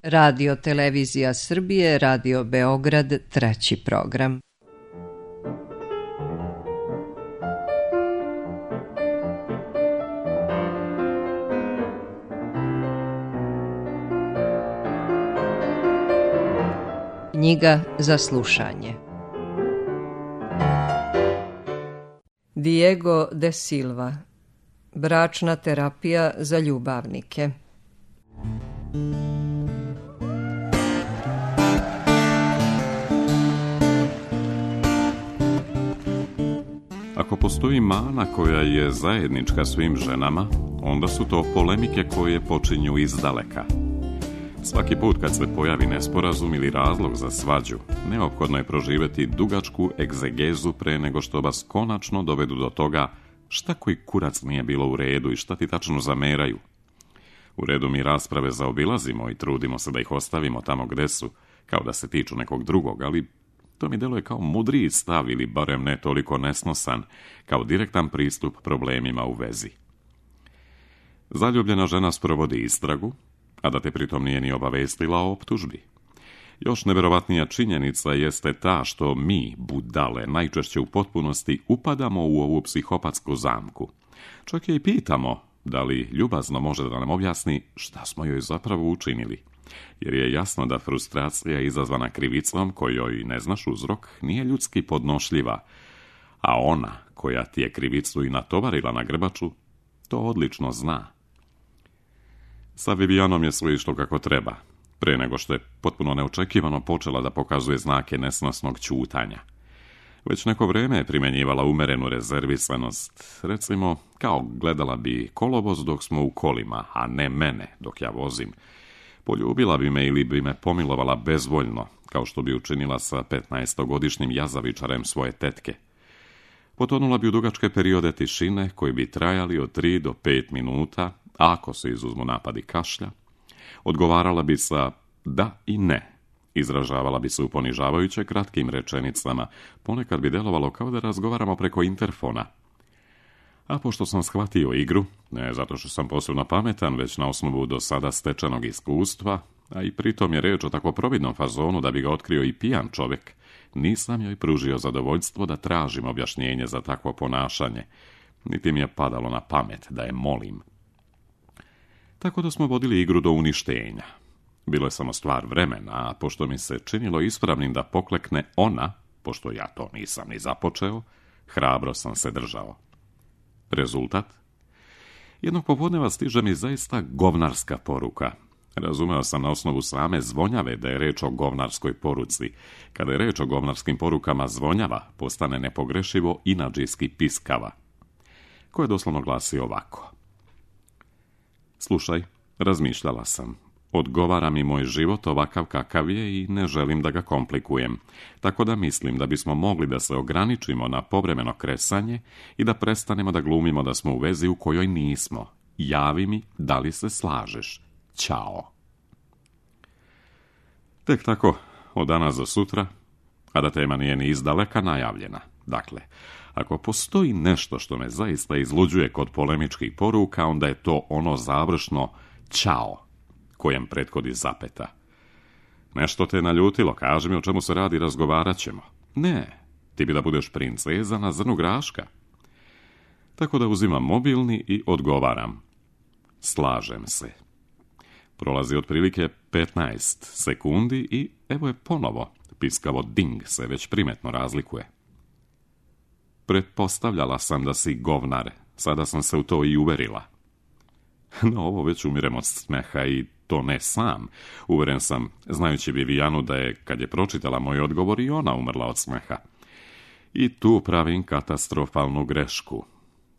Radio Televizija Srbije, Radio Beograd, treći program. Knjiga za slušanje. Diego de Silva. Bračna terapija za ljubavnike. Ako postoji mana koja je zajednička svim ženama, onda su to polemike koje počinju izdaleka. Svaki put kad se pojavi nesporazum ili razlog za svađu, neophodno je proživjeti dugačku egzegezu pre nego što vas konačno dovedu do toga šta koji kurac nije bilo u redu i šta ti tačno zameraju. U redu mi rasprave zaobilazimo i trudimo se da ih ostavimo tamo gde su, kao da se tiču nekog drugog, ali to mi deluje kao mudriji stav ili barem ne toliko nesnosan, kao direktan pristup problemima u vezi. Zaljubljena žena sprovodi istragu, a da te pritom nije ni obavestila o optužbi. Još neverovatnija činjenica jeste ta što mi, budale, najčešće u potpunosti upadamo u ovu psihopatsku zamku. Čak je i pitamo da li ljubazno može da nam objasni šta smo joj zapravo učinili. Jer je jasno da frustracija izazvana krivicom kojoj ne znaš uzrok nije ljudski podnošljiva, a ona koja ti je krivicu i natovarila na grbaču, to odlično zna. Sa Vivijanom je sve išlo kako treba, pre nego što je potpuno neočekivano počela da pokazuje znake nesnosnog ćutanja. Već neko vreme je primjenjivala umerenu rezervisanost, recimo kao gledala bi kolovoz dok smo u kolima, a ne mene dok ja vozim. Poljubila bi me ili bi me pomilovala bezvoljno, kao što bi učinila sa 15-godišnjim jazavičarem svoje tetke. Potonula bi u dugačke periode tišine koji bi trajali od 3 do 5 minuta, a ako se izuzmu napadi kašlja, odgovarala bi sa da i ne. Izražavala bi se u ponižavajuće kratkim rečenicama, ponekad bi delovalo kao da razgovaramo preko interfona. A pošto sam shvatio igru, ne zato što sam posebno pametan, već na osnovu do sada stečenog iskustva, a i pritom je reč o tako providnom fazonu da bi ga otkrio i pijan čovjek, nisam joj pružio zadovoljstvo da tražim objašnjenje za takvo ponašanje, niti mi je padalo na pamet da je molim. Tako da smo vodili igru do uništenja. Bilo je samo stvar vremena, a pošto mi se činilo ispravnim da poklekne ona, pošto ja to nisam ni započeo, hrabro sam se držao. Rezultat? Jednog popodneva stiže mi zaista govnarska poruka. Razumeo sam na osnovu same zvonjave da je reč o govnarskoj poruci. Kada je reč o govnarskim porukama zvonjava, postane nepogrešivo inadžijski piskava, koje doslovno glasi ovako. Slušaj, razmišljala sam. Odgovara mi moj život ovakav kakav je i ne želim da ga komplikujem. Tako da mislim da bismo mogli da se ograničimo na povremeno kresanje i da prestanemo da glumimo da smo u vezi u kojoj nismo. Javi mi da li se slažeš. Ćao. Tek tako, od danas za sutra, a da tema nije ni izdaleka najavljena. Dakle, ako postoji nešto što me zaista izluđuje kod polemičkih poruka, onda je to ono završno ćao, kojem prethodi zapeta. Nešto te naljutilo, kaži mi o čemu se radi, razgovarat ćemo. Ne, ti bi da budeš princeza na zrnu graška. Tako da uzimam mobilni i odgovaram. Slažem se. Prolazi otprilike 15 sekundi i evo je ponovo. Piskavo ding se već primetno razlikuje. Pretpostavljala sam da si govnar, sada sam se u to i uverila. No, ovo već umirem od smeha i to ne sam. Uveren sam, znajući Vivijanu, da je, kad je pročitala moj odgovor, i ona umrla od smeha. I tu pravim katastrofalnu grešku.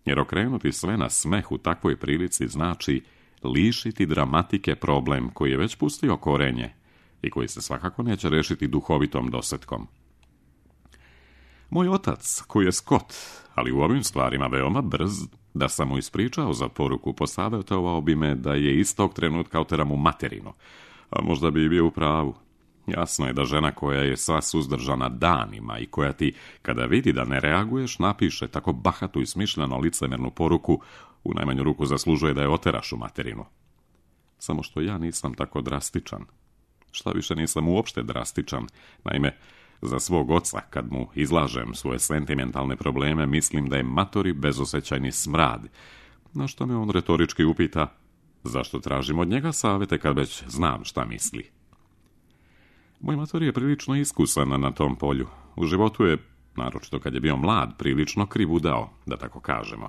Jer okrenuti sve na smeh u takvoj prilici znači lišiti dramatike problem koji je već pustio korenje i koji se svakako neće rešiti duhovitom dosetkom. Moj otac, koji je Skot, ali u ovim stvarima veoma brz, da sam mu ispričao za poruku, posavjetovao bi me da je istog trenutka oteram u materinu, a možda bi i bio u pravu. Jasno je da žena koja je sva suzdržana danima i koja ti, kada vidi da ne reaguješ, napiše tako bahatu i smišljeno licemernu poruku, u najmanju ruku zaslužuje da je oteraš u materinu. Samo što ja nisam tako drastičan. Šta više nisam uopšte drastičan. Naime, za svog oca, kad mu izlažem svoje sentimentalne probleme, mislim da je matori bezosjećajni smrad. Na što me on retorički upita, zašto tražim od njega savjete kad već znam šta misli. Moj mator je prilično iskusan na tom polju. U životu je, naročito kad je bio mlad, prilično krivudao, da tako kažemo.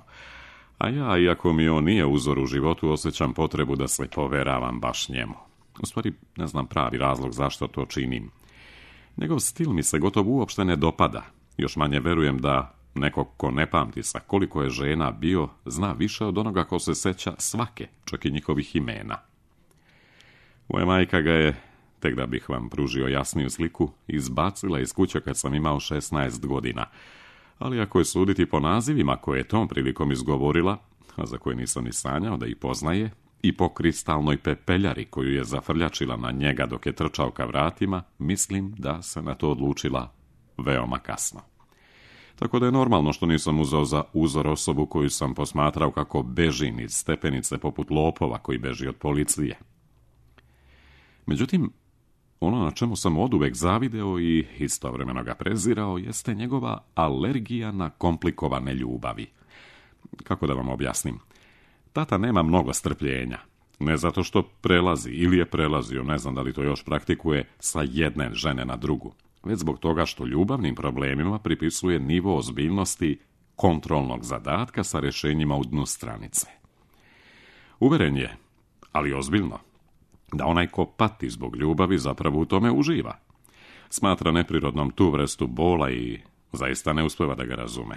A ja, iako mi on nije uzor u životu, osjećam potrebu da se poveravam baš njemu. U stvari, ne znam pravi razlog zašto to činim. Njegov stil mi se gotovo uopšte ne dopada. Još manje verujem da neko ko ne pamti sa koliko je žena bio, zna više od onoga ko se seća svake, čak i njihovih imena. Moja majka ga je, tek da bih vam pružio jasniju sliku, izbacila iz kuće kad sam imao 16 godina. Ali ako je suditi po nazivima koje je tom prilikom izgovorila, a za koje nisam ni sanjao da ih poznaje, i po kristalnoj pepeljari koju je zafrljačila na njega dok je trčao ka vratima, mislim da se na to odlučila veoma kasno. Tako da je normalno što nisam uzeo za uzor osobu koju sam posmatrao kako beži niz stepenice poput lopova koji beži od policije. Međutim, ono na čemu sam oduvek zavideo i istovremeno ga prezirao jeste njegova alergija na komplikovane ljubavi. Kako da vam objasnim? Tata nema mnogo strpljenja. Ne zato što prelazi ili je prelazio, ne znam da li to još praktikuje, sa jedne žene na drugu, već zbog toga što ljubavnim problemima pripisuje nivo ozbiljnosti kontrolnog zadatka sa rješenjima u dnu stranice. Uveren je, ali ozbiljno, da onaj ko pati zbog ljubavi zapravo u tome uživa. Smatra neprirodnom tu vrstu bola i zaista ne uspeva da ga razume.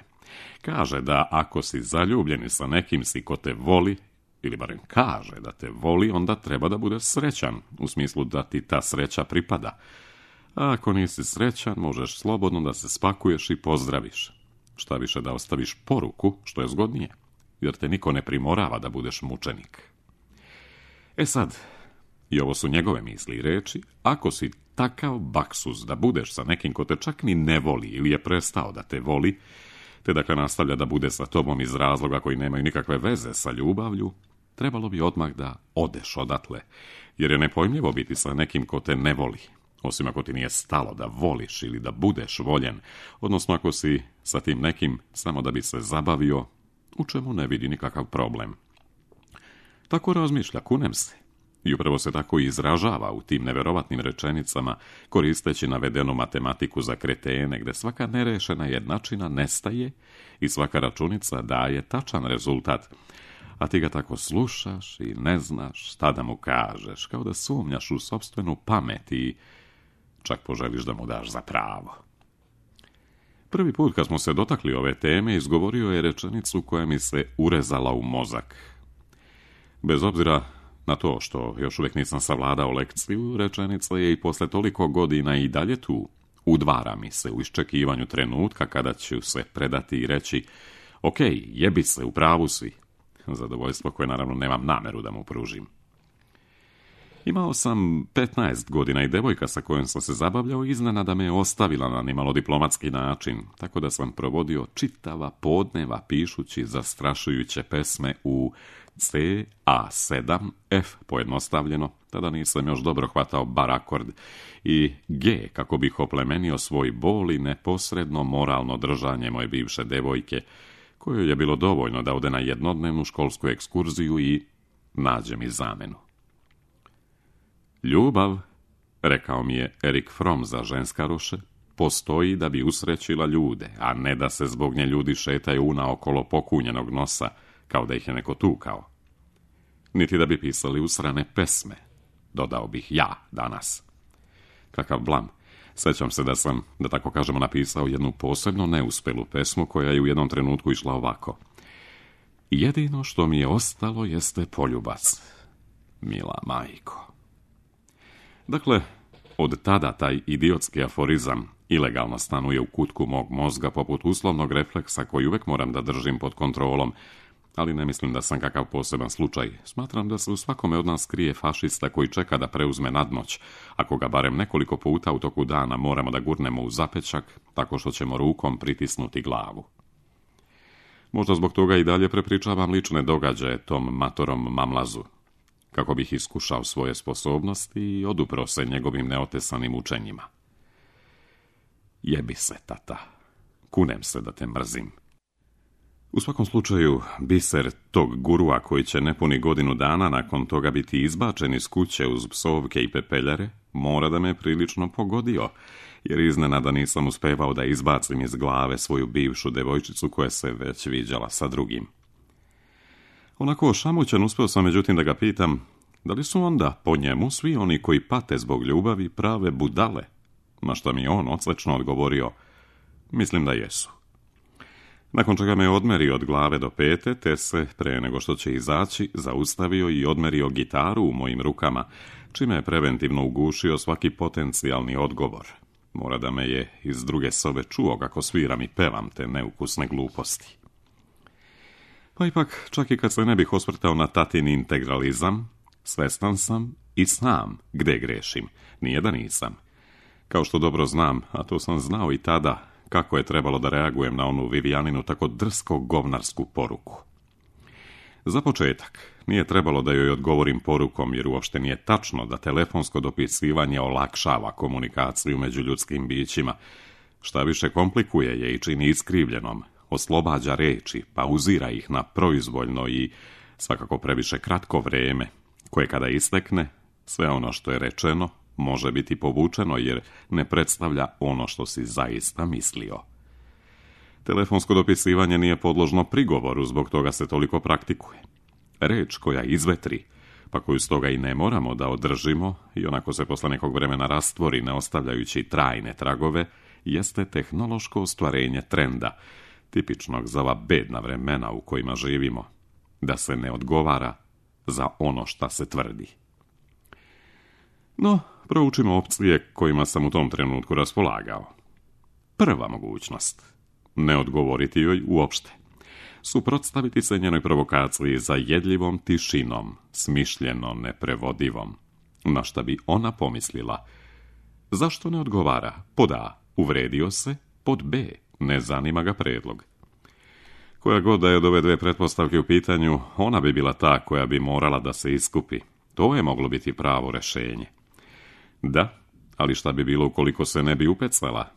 Kaže da ako si zaljubljeni sa nekim si ko te voli, ili barem kaže da te voli, onda treba da budeš srećan, u smislu da ti ta sreća pripada. A ako nisi srećan, možeš slobodno da se spakuješ i pozdraviš. Šta više da ostaviš poruku, što je zgodnije, jer te niko ne primorava da budeš mučenik. E sad, i ovo su njegove misli i reči, ako si takav baksuz da budeš sa nekim ko te čak ni ne voli ili je prestao da te voli, te dakle nastavlja da bude sa tobom iz razloga koji nemaju nikakve veze sa ljubavlju, trebalo bi odmah da odeš odatle, jer je nepojmljivo biti sa nekim ko te ne voli, osim ako ti nije stalo da voliš ili da budeš voljen, odnosno ako si sa tim nekim samo da bi se zabavio, u čemu ne vidi nikakav problem. Tako razmišlja, kunem se. I upravo se tako i izražava u tim neverovatnim rečenicama, koristeći navedenu matematiku za kretene, gde svaka nerešena jednačina nestaje i svaka računica daje tačan rezultat, a ti ga tako slušaš i ne znaš šta da mu kažeš, kao da sumnjaš u sopstvenu pamet i čak poželiš da mu daš za pravo. Prvi put kad smo se dotakli ove teme, izgovorio je rečenicu koja mi se urezala u mozak. Bez obzira na to što još uvijek nisam savladao lekciju, rečenica je i posle toliko godina i dalje tu. Udvara mi se u iščekivanju trenutka kada ću se predati i reći ok, jebi se, u pravu si. Zadovoljstvo koje naravno nemam nameru da mu pružim. Imao sam 15 godina i devojka sa kojom sam se zabavljao iznenada me je ostavila na nimalo diplomatski način, tako da sam provodio čitava podneva pišući zastrašujuće pesme u C, A7, F pojednostavljeno, tada nisam još dobro hvatao bar akord, i G kako bih oplemenio svoj bol i neposredno moralno držanje moje bivše devojke, kojoj je bilo dovoljno da ode na jednodnevnu školsku ekskurziju i nađe mi zamenu. Ljubav, rekao mi je Erik Fromm za ženskaroše, postoji da bi usrećila ljude, a ne da se zbog nje ljudi šetaju unaokolo pokunjenog nosa, kao da ih je neko tukao. Niti da bi pisali usrane pesme, dodao bih ja danas. Kakav blam. Sećam se da sam, da tako kažemo, napisao jednu posebno neuspelu pesmu koja je u jednom trenutku išla ovako. Jedino što mi je ostalo jeste poljubac, mila majko. Dakle, od tada taj idiotski aforizam ilegalno stanuje u kutku mog mozga poput uslovnog refleksa koji uvek moram da držim pod kontrolom, ali ne mislim da sam kakav poseban slučaj. Smatram da se u svakome od nas krije fašista koji čeka da preuzme nadmoć, ako ga barem nekoliko puta u toku dana moramo da gurnemo u zapečak, tako što ćemo rukom pritisnuti glavu. Možda zbog toga i dalje prepričavam lične događaje tom matorom mamlazu. kako bih iskušao svoje sposobnosti i odupro se njegovim neotesanim učenjima. Jebi se, tata. Kunem se da te mrzim. U svakom slučaju, biser tog gurua koji će nepuni godinu dana nakon toga biti izbačen iz kuće uz psovke i pepeljare, mora da me prilično pogodio, jer iznenada nisam uspevao da izbacim iz glave svoju bivšu devojčicu koja se već viđala sa drugim. Onako ošamućen uspeo sam međutim da ga pitam, da li su onda po njemu svi oni koji pate zbog ljubavi prave budale? Na što mi je on odslečno odgovorio, mislim da jesu. Nakon čega me odmerio od glave do pete, te se, pre nego što će izaći, zaustavio i odmerio gitaru u mojim rukama, čime je preventivno ugušio svaki potencijalni odgovor. Mora da me je iz druge sobe čuo kako sviram i pevam te neukusne gluposti. Pa ipak, čak i kad se ne bih osvrtao na tatin integralizam, svestan sam i sam gde grešim, nije da nisam. Kao što dobro znam, a to sam znao i tada, kako je trebalo da reagujem na onu Vivijaninu tako drsko govnarsku poruku. Za početak, nije trebalo da joj odgovorim porukom, jer uopšte nije tačno da telefonsko dopisivanje olakšava komunikaciju među ljudskim bićima. Šta više komplikuje je i čini iskrivljenom, oslobađa reči, pauzira ih na proizvoljno i svakako previše kratko vreme, koje kada istekne, sve ono što je rečeno može biti povučeno jer ne predstavlja ono što si zaista mislio. Telefonsko dopisivanje nije podložno prigovoru, zbog toga se toliko praktikuje. Reč koja izvetri, pa koju stoga i ne moramo da održimo i onako se posle nekog vremena rastvori ne ostavljajući trajne tragove, jeste tehnološko ostvarenje trenda, tipičnog za ova bedna vremena u kojima živimo, da se ne odgovara za ono šta se tvrdi. No, proučimo opcije kojima sam u tom trenutku raspolagao. Prva mogućnost, ne odgovoriti joj uopšte. Suprotstaviti se njenoj provokaciji za jedljivom tišinom, smišljeno neprevodivom. Na šta bi ona pomislila? Zašto ne odgovara? Pod A, uvredio se, pod B, ne zanima ga predlog. Koja god da je od ove dve pretpostavke u pitanju, ona bi bila ta koja bi morala da se iskupi. To je moglo biti pravo rešenje. Da, ali šta bi bilo ukoliko se ne bi upecala?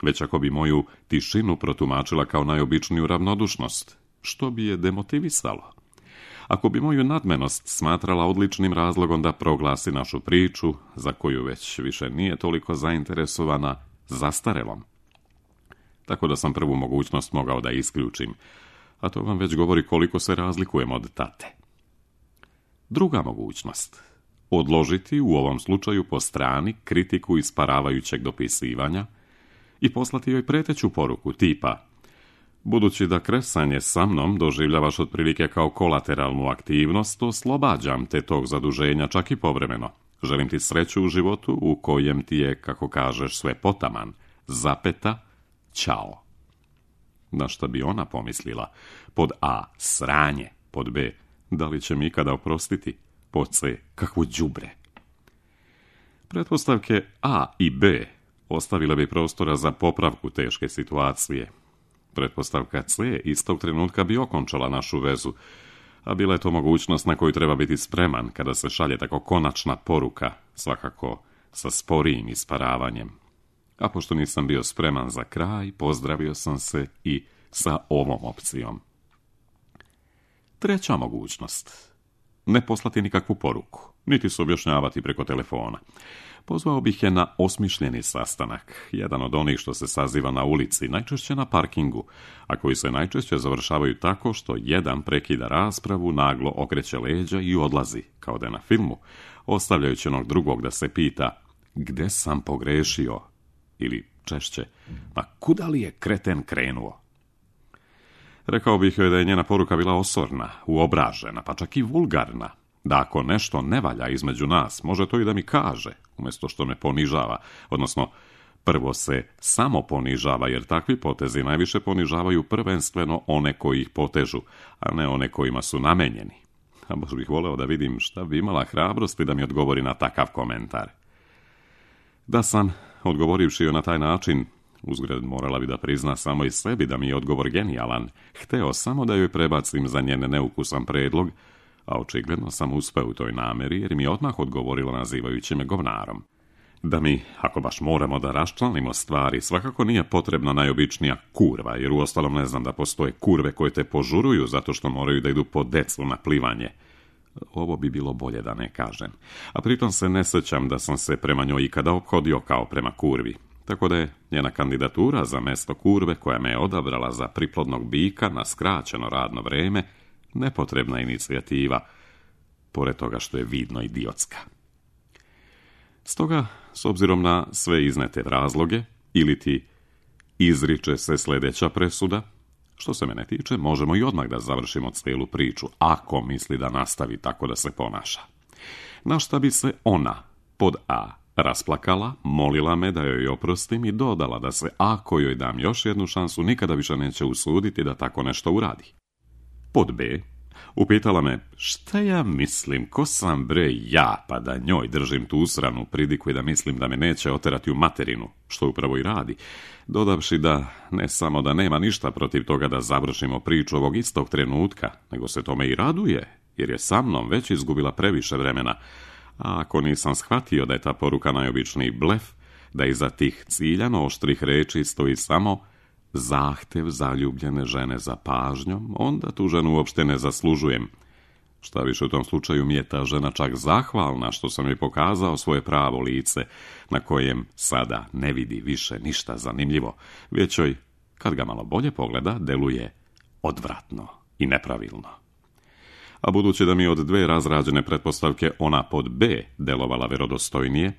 Već ako bi moju tišinu protumačila kao najobičniju ravnodušnost, što bi je demotivisalo? Ako bi moju nadmenost smatrala odličnim razlogom da proglasi našu priču, za koju već više nije toliko zainteresovana, zastarelom. Tako da sam prvu mogućnost mogao da isključim, a to vam već govori koliko se razlikujem od tate. Druga mogućnost, odložiti u ovom slučaju po strani kritiku isparavajućeg dopisivanja i poslati joj preteću poruku tipa: budući da kresanje sa mnom doživljavaš otprilike kao kolateralnu aktivnost, oslobađam te tog zaduženja čak i povremeno. Želim ti sreću u životu u kojem ti je, kako kažeš, sve potaman. Zapeta, ćao. Na šta bi ona pomislila? Pod A, sranje. Pod B, da li će mi ikada oprostiti? Pod C, kakvo đubre. Pretpostavke A i B ostavile bi prostora za popravku teške situacije. Pretpostavka C istog trenutka bi okončala našu vezu, a bila je to mogućnost na koju treba biti spreman kada se šalje tako konačna poruka, svakako sa sporijim isparavanjem. A pošto nisam bio spreman za kraj, pozdravio sam se i sa ovom opcijom. Treća mogućnost. Ne poslati nikakvu poruku, niti se objašnjavati preko telefona. Pozvao bih je na osmišljeni sastanak, jedan od onih što se saziva na ulici, najčešće na parkingu, a koji se najčešće završavaju tako što jedan prekida raspravu, naglo okreće leđa i odlazi, kao da je na filmu, ostavljajući onog drugog da se pita gde sam pogrešio, ili češće, ma kuda li je kreten krenuo? Rekao bih joj da je njena poruka bila osorna, uobražena, pa čak i vulgarna. Da ako nešto ne valja između nas, može to i da mi kaže, umjesto što me ponižava, odnosno prvo se samo ponižava, jer takvi potezi najviše ponižavaju prvenstveno one koji ih potežu, a ne one kojima su namenjeni. A baš bih voleo da vidim šta bi imala hrabrosti da mi odgovori na takav komentar. Da sam, odgovorivši joj na taj način, uzgred morala bi da prizna samo i sebi da mi je odgovor genijalan, hteo samo da joj prebacim za njene neukusan predlog, a očigledno sam uspeo u toj namjeri jer mi je odmah odgovorila nazivajući me govnarom. Da mi, ako baš moramo da raščlanimo stvari, svakako nije potrebna najobičnija kurva, jer uostalom ne znam da postoje kurve koje te požuruju zato što moraju da idu po decu na plivanje. Ovo bi bilo bolje da ne kažem. A pritom se ne sjećam da sam se prema njoj ikada ophodio kao prema kurvi. Tako da je njena kandidatura za mesto kurve koja me je odabrala za priplodnog bika na skraćeno radno vreme nepotrebna inicijativa, pored toga što je vidno idiotska. Stoga, s obzirom na sve iznete razloge, ili ti izriče se sljedeća presuda, što se mene tiče, možemo i odmah da završimo cijelu priču, ako misli da nastavi tako da se ponaša. Na šta bi se ona, pod A, rasplakala, molila me da joj oprostim i dodala da se, ako joj dam još jednu šansu, nikada više neće usuditi da tako nešto uradi. Pod B, upitala me šta ja mislim, ko sam bre ja, pa da njoj držim tu usranu pridiku i da mislim da me neće oterati u materinu, što upravo i radi, dodavši da ne samo da nema ništa protiv toga da završimo priču ovog istog trenutka, nego se tome i raduje, jer je sa mnom već izgubila previše vremena, a ako nisam shvatio da je ta poruka najobičniji blef, da iza tih ciljano oštrih reči stoji samo zahtev zaljubljene žene za pažnjom, onda tu ženu uopšte ne zaslužujem. Šta više, u tom slučaju mi je ta žena čak zahvalna što sam joj pokazao svoje pravo lice, na kojem sada ne vidi više ništa zanimljivo, već joj, kad ga malo bolje pogleda, deluje odvratno i nepravilno. A budući da mi od dve razrađene pretpostavke ona pod B delovala verodostojnije,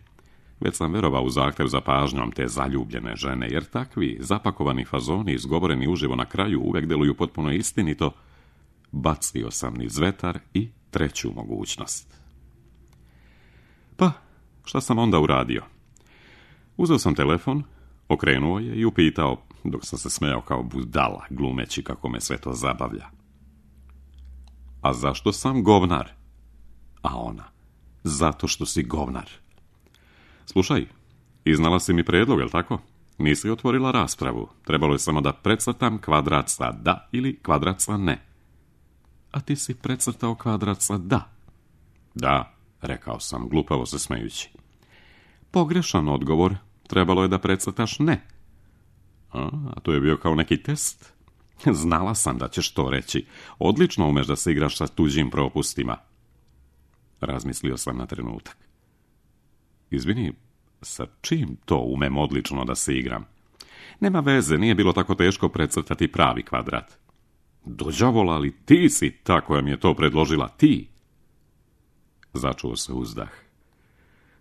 već sam verovao u zahtev za pažnjom te zaljubljene žene, jer takvi zapakovani fazoni izgovoreni uživo na kraju uvek deluju potpuno istinito, bacio sam niz vetar i treću mogućnost. Pa, šta sam onda uradio? Uzeo sam telefon, okrenuo je i upitao, dok sam se smejao kao budala, glumeći kako me sve to zabavlja. A zašto sam govnar? A ona, zato što si govnar. Slušaj, iznala si mi predlog, jel tako? Nisi otvorila raspravu. Trebalo je samo da precrtam kvadrat sa da ili kvadrat sa ne. A ti si precrtao kvadrat sa da. Da, rekao sam, glupavo se smejući. Pogrešan odgovor. Trebalo je da precrtaš ne. A to je bio kao neki test. Znala sam da ćeš to reći. Odlično umeš da se igraš sa tuđim propustima. Razmislio sam na trenutak. Izvini, sa čim to umem odlično da se igram? Nema veze, nije bilo tako teško precrtati pravi kvadrat. Dođavola, ali ti si ta koja mi je to predložila, ti. Začuo se uzdah.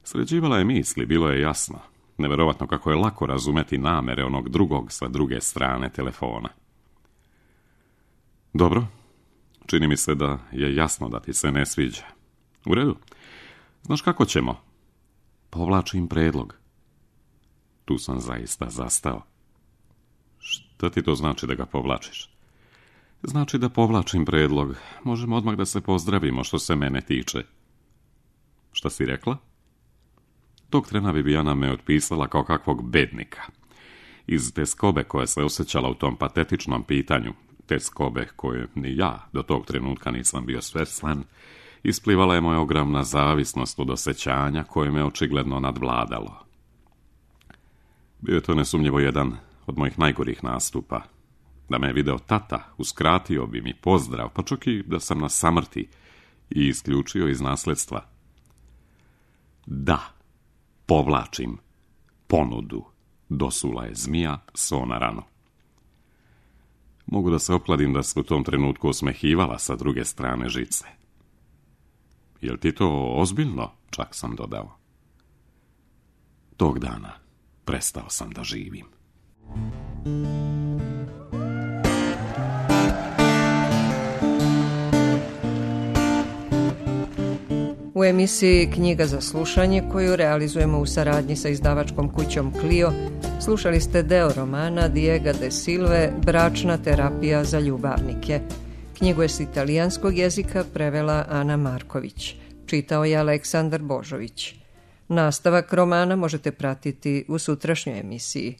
Sređivala je misli, bilo je jasno. Neverovatno kako je lako razumeti namere onog drugog sa druge strane telefona. Dobro, čini mi se da je jasno da ti se ne sviđa. U redu, znaš kako ćemo? Povlačim predlog. Tu sam zaista zastao. Šta ti to znači da ga povlačiš? Znači da povlačim predlog. Možemo odmah da se pozdravimo što se mene tiče. Šta si rekla? Tog trena Vivijana me otpisala kao kakvog bednika. Iz teskobe koja se osjećala u tom patetičnom pitanju, teskobe koje ni ja do tog trenutka nisam bio svestan, isplivala je moja ogromna zavisnost od osjećanja koje me očigledno nadvladalo. Bio je to nesumnjivo jedan od mojih najgorih nastupa. Da me je video tata, uskratio bi mi pozdrav, pa čak i da sam na samrti i isključio iz nasledstva. Da, povlačim ponudu, dosula je zmija so na ranu. Mogu da se okladim da se u tom trenutku osmehivala sa druge strane žice. Jel ti to ozbiljno? Čak sam dodao. Tog dana prestao sam da živim. U emisiji Knjiga za slušanje, koju realizujemo u saradnji sa izdavačkom kućom Clio, slušali ste deo romana Diega de Silve Bračna terapija za ljubavnike. Knjigu je s italijanskog jezika prevela Ana Marković. Čitao je Aleksandar Božović. Nastavak romana možete pratiti u sutrašnjoj emisiji.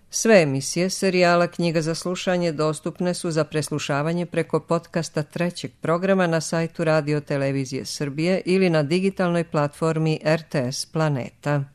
Sve emisije serijala Knjiga za slušanje dostupne su za preslušavanje preko podcasta trećeg programa na sajtu Radio Televizije Srbije ili na digitalnoj platformi RTS Planeta.